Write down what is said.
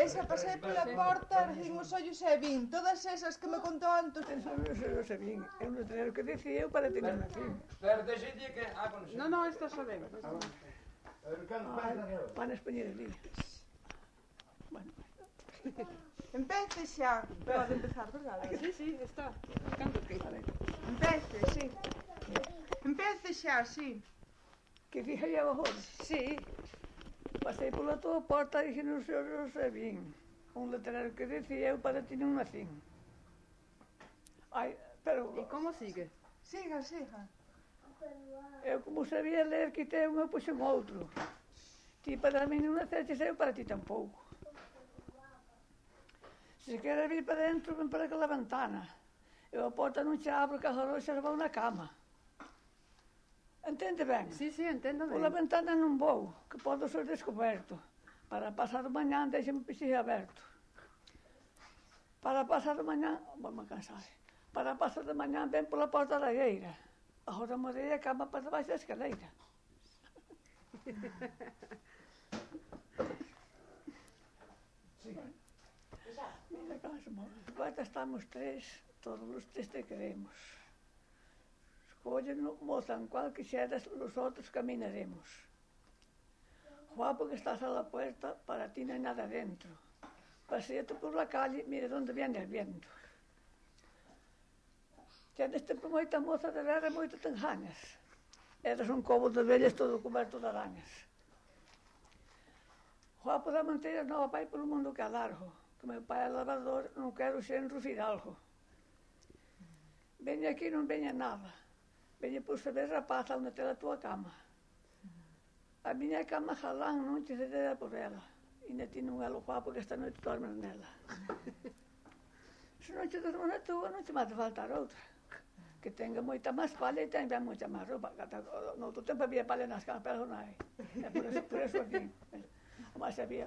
E xa pasei pola porta, erguín os ollos e vin todas esas que me contou Anto. Eso non se vin. É un letrero que dicía eu para tener aquí. Pero deixe día que... No, esta xa ven. Van a españar ali. Bueno. Empece xa. Pode empezar, verdade? Sí, está. Canto que? Empece, sí. Empece xa, sí. Que fixaría abajo? Sí. Pasei pola tua porta e dixen os ollos e vin. Un letrero que dicía eu para tener un nacín. Ai, pero... E como sigue? Siga, siga. Eu como sabía ler, quitei un e puxen outro. Ti para mí non naceches, eu para ti tampouco. Se queres vir para dentro, ven para aquela ventana. Eu a porta non che abro, que as oroxas vão na cama. Entende ben? Sí, entendo ben. Pola ventana non vou, que podo ser descoberto. Para pasar o mañán, deixame o pisillo aberto. Para pasar o mañán, vou me cansar. Para pasar o mañán, ven pola porta da gueira. Agora morei a cama para debaixo da escaleira. Mira, Cosmo, agora estamos tres, todos os tres te queremos. Escollen, moza, en cual quixeras, los outros caminaremos. Guapo que estás a la puerta, para ti non hai nada dentro. Paseate por la calle, mira donde viene el viento. Tienes tempo moita moza de ver e moito te engañas. Eres un cobo de vellas todo coberto de arañas. Guapo da Manteira nova vai polo mundo que é largo. Que meu pai é lavador, non quero xenro fidalgo. Veña aquí, non veña nada. Veña por saber rapaza onde te a tua cama. A miña cama jalán non te cedera por ela. E ne ti non é lo guapo que esta noite dormes nela. Se non te dormo na tua, non te mate faltar outra. Que tenga moita máis pala e tenga moita máis roupa. No outro tempo había pala nas camas, pero non hai. É por eso aquí. Mas había...